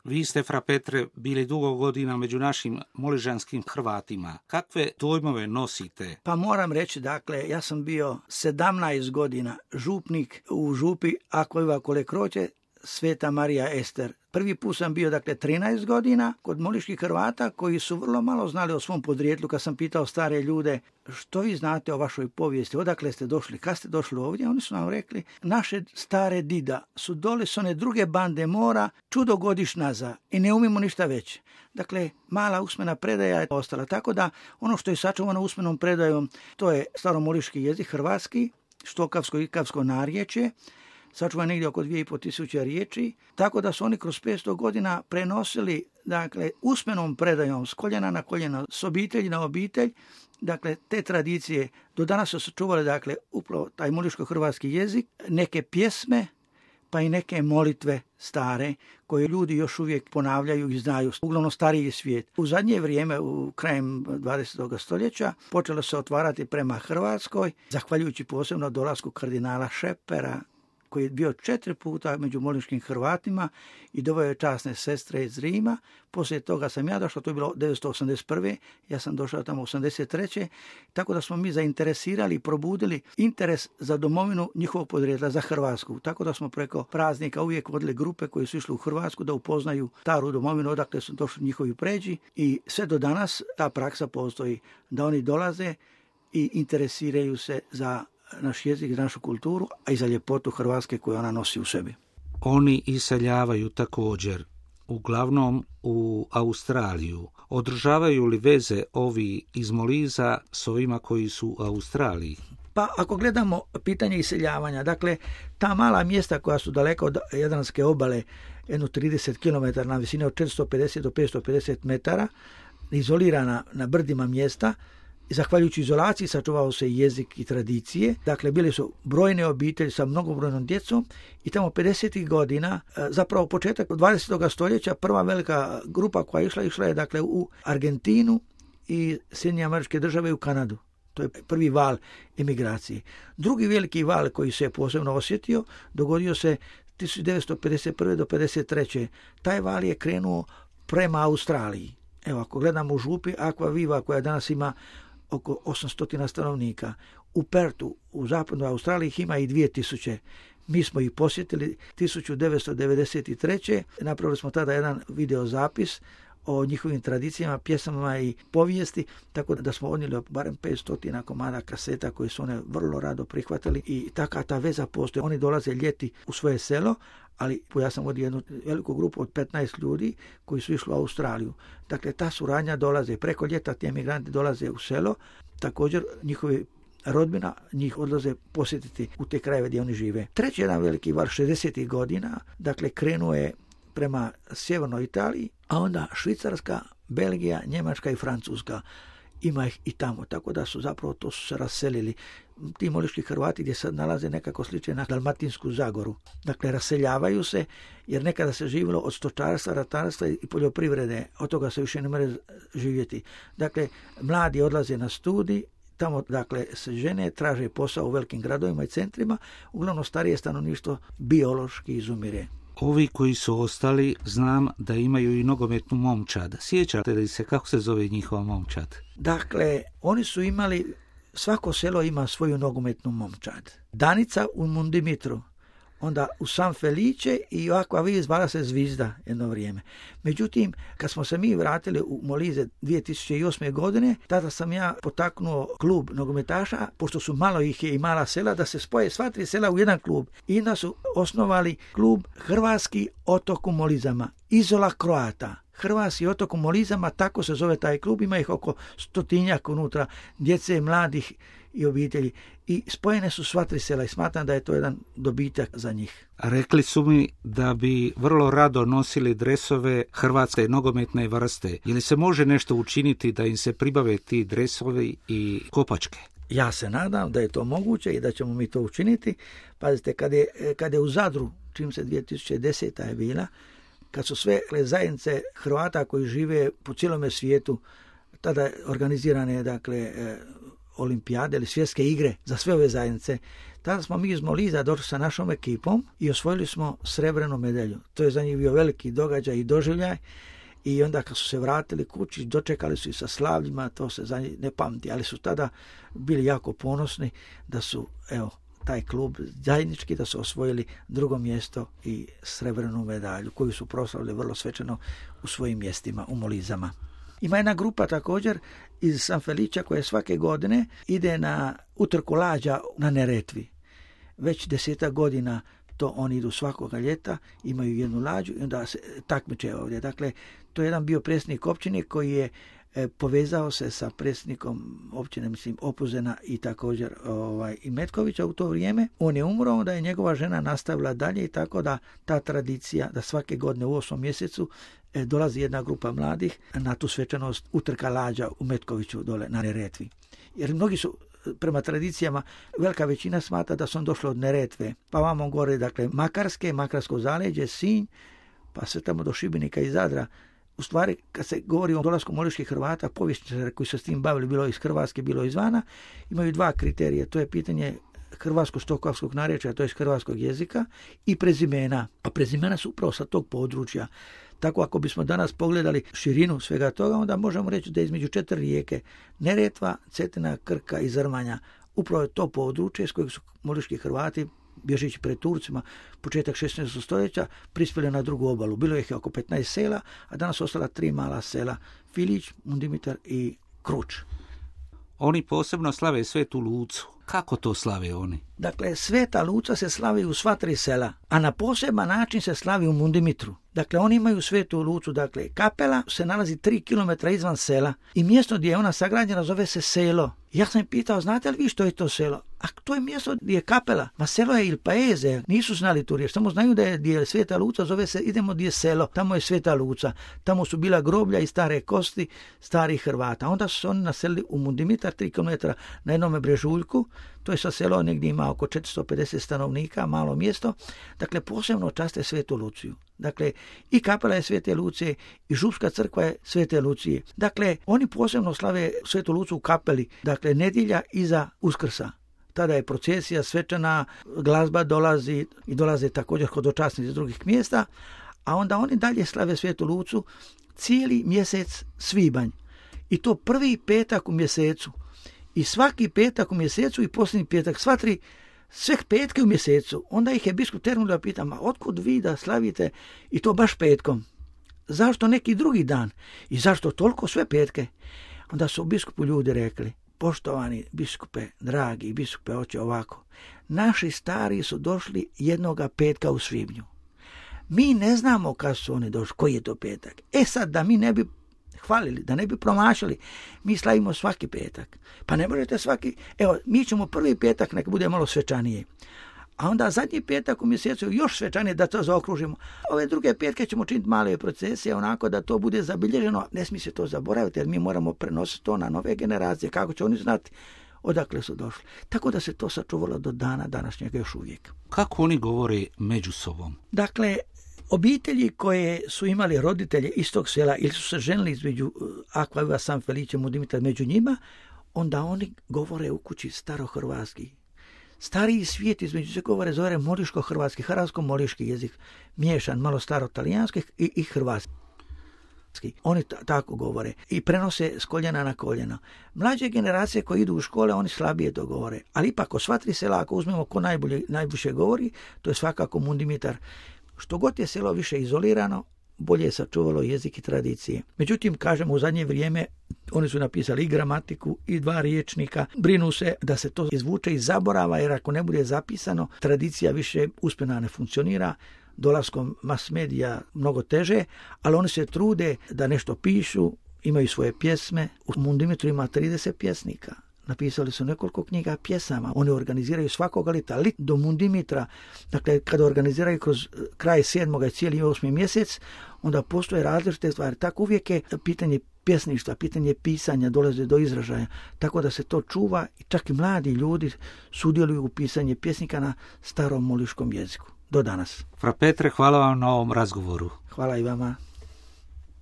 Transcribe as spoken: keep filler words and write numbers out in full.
Vi ste, fra Petre, bili dugo godina među našim moližanskim Hrvatima. Kakve dojmove nosite? Pa moram reći, dakle, ja sam bio sedamnaest godina župnik u župi Akva Kole Kroće, Sveta Marija Ester. Prvi put sam bio, dakle, trinaest godina kod moliških Hrvata koji su vrlo malo znali o svom podrijetlu. Kad sam pitao stare ljude, što vi znate o vašoj povijesti, odakle ste došli, kad ste došli ovdje, oni su nam rekli, naše stare dida su dole s one druge bande mora čudo godiš nazad i ne umimo ništa već. Dakle, mala usmena predaja je ostala. Tako da ono što je sačuvano usmenom predajom, to je staromoliški jezik, hrvatski, štokavsko i ikavsko narječje, sačuva negdje oko dvije i pol tisuće riječi, tako da su oni kroz petsto godina prenosili, dakle, usmenom predajom s koljena na koljena, s obitelji na obitelj, dakle, te tradicije. Do danas su sačuvali, dakle, upravo taj moliško-hrvatski jezik, neke pjesme, pa i neke molitve stare, koje ljudi još uvijek ponavljaju i znaju, uglavnom stariji svijet. U zadnje vrijeme, u krajem dvadesetog stoljeća, počelo se otvarati prema Hrvatskoj, zahvaljujući posebno dolasku kardinala Šepera, koji je bio četiri puta među moliškim Hrvatima i doveo je časne sestre iz Rima. Poslije toga sam ja došao, to je bilo devetsto osamdeset prve. Ja sam došao tamo osamdeset treće. Tako da smo mi zainteresirali i probudili interes za domovinu njihovog podrijetla, za Hrvatsku. Tako da smo preko praznika uvijek vodili grupe koji su išli u Hrvatsku da upoznaju staru domovinu, odakle su došli njihovi pređi. I sve do danas ta praksa postoji, da oni dolaze i interesiraju se za naš jezik, našu kulturu, a i za ljepotu Hrvatske koju ona nosi u sebi. Oni iseljavaju također, uglavnom u Australiju. Održavaju li veze ovi iz Moliza s ovima koji su u Australiji? Pa ako gledamo pitanje iseljavanja, dakle, ta mala mjesta koja su daleko od Jadranske obale, jedno trideset kilometara na visini od četiristo pedeset do petsto pedeset metara, izolirana na brdima mjesta, i zahvaljujući izolaciji sačuvao se jezik i tradicije. Dakle, bili su brojne obitelji sa mnogobrojnom djecom i tamo pedesetih godina, zapravo početak dvadesetog stoljeća, prva velika grupa koja je išla, išla je dakle u Argentinu i Sjedinjene Američke Države i u Kanadu. To je prvi val emigracije. Drugi veliki val koji se je posebno osjetio dogodio se tisuću devetsto pedeset prve do pedeset treće. Taj val je krenuo prema Australiji. Evo, ako gledamo u župi Aqua Viva koja danas ima oko osamsto stanovnika. U Pertu, u zapadnoj Australiji, ih ima i dvije tisuće. Mi smo ih posjetili tisuću devetsto devedeset treće. Napravili smo tada jedan videozapis o njihovim tradicijama, pjesmama i povijesti, tako da smo odnijeli barem petsto komada kaseta koje su one vrlo rado prihvatili i taka ta veza postoji. Oni dolaze ljeti u svoje selo, ali ja sam vodio jednu veliku grupu od petnaest ljudi koji su išli u Australiju. Dakle, ta suradnja dolaze preko ljeta, ti emigranti dolaze u selo, također njihovi rodbina njih odlaze posjetiti u te krajeve gdje oni žive. Treći jedan veliki val šezdesetih godina, dakle, krenuo je prema sjevernoj Italiji, a onda Švicarska, Belgija, Njemačka i Francuska. Ima ih i tamo, tako da su zapravo to su se raselili. Ti moliški Hrvati gdje sad nalaze nekako sliče na Dalmatinsku Zagoru. Dakle, raseljavaju se jer nekada se živjelo od stočarstva, ratarstva i poljoprivrede. Od toga se više ne može živjeti. Dakle, mladi odlaze na studij, tamo, dakle, se žene traže posao u velikim gradovima i centrima, uglavnom starije stanovništvo biološki izumire. Ovi koji su ostali, znam da imaju i nogometnu momčad. Sjećate li se kako se zove njihova momčad? Dakle, oni su imali, svako selo ima svoju nogometnu momčad. Danica u Mundimitru, onda u San Felice i ovako vi zvala se Zvizda jedno vrijeme. Međutim, kad smo se mi vratili u Molize dvije tisuće osme. godine, tada sam ja potaknuo klub nogometaša, pošto su malo ih je i mala sela, da se spoje sva tri sela u jedan klub. I onda su osnovali klub Hrvatski otok u Molizama, Izola Kroata. Hrvatski otok u Molizama, tako se zove taj klub, ima ih oko stotinjak unutra, djece, mladih i obitelji. I spojene su sva tri sela i smatram da je to jedan dobitak za njih. Rekli su mi da bi vrlo rado nosili dresove hrvatske nogometne vrste. Je li se može nešto učiniti da im se pribave ti dresovi i kopačke? Ja se nadam da je to moguće i da ćemo mi to učiniti. Pazite, kad je, kad je u Zadru, čim se dvije tisuće deseta je bila, kad su sve zajednice Hrvata koji žive po cijelome svijetu, tada organizirane, dakle, olimpijade ili svjetske igre za sve ove zajednice. Tada smo mi iz Moliza došli sa našom ekipom i osvojili smo srebrenu medalju. To je za njih bio veliki događaj i doživljaj. I onda kad su se vratili kući, dočekali su i sa slavljima, to se za njih ne pamti, ali su tada bili jako ponosni da su, evo, taj klub zajednički, da su osvojili drugo mjesto i srebrenu medalju koju su proslavili vrlo svečano u svojim mjestima, u Molizama. Ima jedna grupa također iz San Felića koja svake godine ide na utrku lađa na Neretvi. Već desetak godina to oni idu svakoga ljeta, imaju jednu lađu i onda se takmiče ovdje. Dakle, to je jedan bio predsjednik općine koji je e, povezao se sa predsjednikom općine, mislim, Opuzena i također ovaj, i Metkovića u to vrijeme. On je umro, onda je njegova žena nastavila dalje i tako da ta tradicija da svake godine u osmom mjesecu e, dolazi jedna grupa mladih na tu svečanost utrka lađa u Metkoviću dole na Neretvi. Jer mnogi su prema tradicijama, velika većina smatra da su on došli od Neretve, pa vamo gore, dakle, Makarske, Makarsko zaleđe, Sinj, pa sve tamo do Šibenika i Zadra. U stvari, kad se govori o dolasku moliških Hrvata, povjesničara koji se s tim bavili, bilo iz Hrvatske, bilo izvana, imaju dva kriterija. To je pitanje hrvatsko-štokavskog narječja, to je hrvatskog jezika, i prezimena. A prezimena su upravo sa tog područja. Tako ako bismo danas pogledali širinu svega toga, onda možemo reći da između četiri rijeke Neretva, Cetina, Krka i Zrmanja upravo je to područje s kojeg su moliški Hrvati, bježeći pred Turcima, početak šesnaestog stoljeća, prispjeli na drugu obalu. Bilo ih je oko petnaest sela, a danas su ostala tri mala sela, Filić, Mundimitar i Kruč. Oni posebno slave Svetu Lucu. Kako to slave oni? Dakle, Sveta Luca se slavi u sva tri sela, a na poseban način se slavi u Mundimitru. Dakle, oni imaju Svetu Lucu, dakle, kapela se nalazi tri kilometra izvan sela i mjesto gdje je ona sagrađena zove se selo. Ja sam pitao, znate li vi što je to selo? A to je mjesto gdje je kapela. Ma selo je Il Paese, nisu znali tu riječ, samo znaju da je gdje je Sveta Luca, zove se idemo gdje je selo, tamo je Sveta Luca. Tamo su bila groblja i stare kosti starih Hrvata. Onda su se oni naselili u Mundimitar, tri kilometra na jednome brežuljku. To je sa selo, negdje ima oko četiristo pedeset stanovnika, malo mjesto. Dakle, posebno časte Svetu Luciju. Dakle, i kapela je Svete Lucije i župska crkva je Svete Lucije. Dakle, oni posebno slave Svetu Lucu u kapeli, dakle, nedjelja iza Uskrsa. Tada je procesija svečana, glazba dolazi i dolaze također hodočasnici iz drugih mjesta, a onda oni dalje slave Svetu Lucu cijeli mjesec svibanj. I to prvi petak u mjesecu. I svaki petak u mjesecu i posljednji petak, sva tri, sve petke u mjesecu. Onda ih je biskup Ternulj da pita, ma otkud vi da slavite i to baš petkom? Zašto neki drugi dan? I zašto toliko sve petke? Onda su biskupu ljudi rekli, poštovani biskupe, dragi biskupe, oče ovako, naši stari su došli jednoga petka u svibnju. Mi ne znamo kad su oni došli, koji je to petak. E sad, da mi ne bi hvalili, da ne bi promašili, mi slavimo svaki petak. Pa ne možete svaki, evo, mi ćemo prvi petak, neka bude malo svečanije. A onda zadnji petak u mjesecu još svečanije da to zaokružimo. Ove druge petke ćemo činiti male procesije, onako da to bude zabilježeno. Ne smije se to zaboraviti, jer mi moramo prenositi to na nove generacije, kako će oni znati odakle su došli. Tako da se to sačuvalo do dana današnjega još uvijek. Kako oni govore među sobom? Dakle, obitelji koje su imali roditelje iz tog sela ili su se ženili između Akvaviva, San Felice, Mundimitar među njima, onda oni govore u kući starohrvatski. Stariji svijet između se govore zove moliško-hrvatski, hrvatsko-moliški jezik, miješan malo staro-talijanski i, i hrvatski. Oni t- tako govore i prenose s koljena na koljeno. Mlađe generacije koje idu u škole, oni slabije to govore. Ali ipak, o sva tri sela, ako uzmemo ko najbolje, najviše govori, to je svakako Mundimitar. Što god je selo više izolirano, bolje je sačuvalo jezik i tradicije. Međutim, kažemo, u zadnje vrijeme oni su napisali i gramatiku i dva riječnika. Brinu se da se to izvuče iz zaborava, jer ako ne bude zapisano, tradicija više uspjena ne funkcionira. Dolaskom mass medija mnogo teže, ali oni se trude da nešto pišu, imaju svoje pjesme. U Mundimitru ima trideset pjesnika. Napisali su nekoliko knjiga pjesama. Oni organiziraju svakoga lita, lit do Mundimitra. Dakle, kada organiziraju kroz kraj sedmoga i cijeli osmi mjesec, onda postoje različite stvari. Tako uvijek je pitanje pjesništva, pitanje pisanja dolaze do izražaja. Tako da se to čuva i čak i mladi ljudi sudjeluju u pisanju pjesnika na starom moliškom jeziku. Do danas. Fra Petre, hvala vam na ovom razgovoru. Hvala i vama.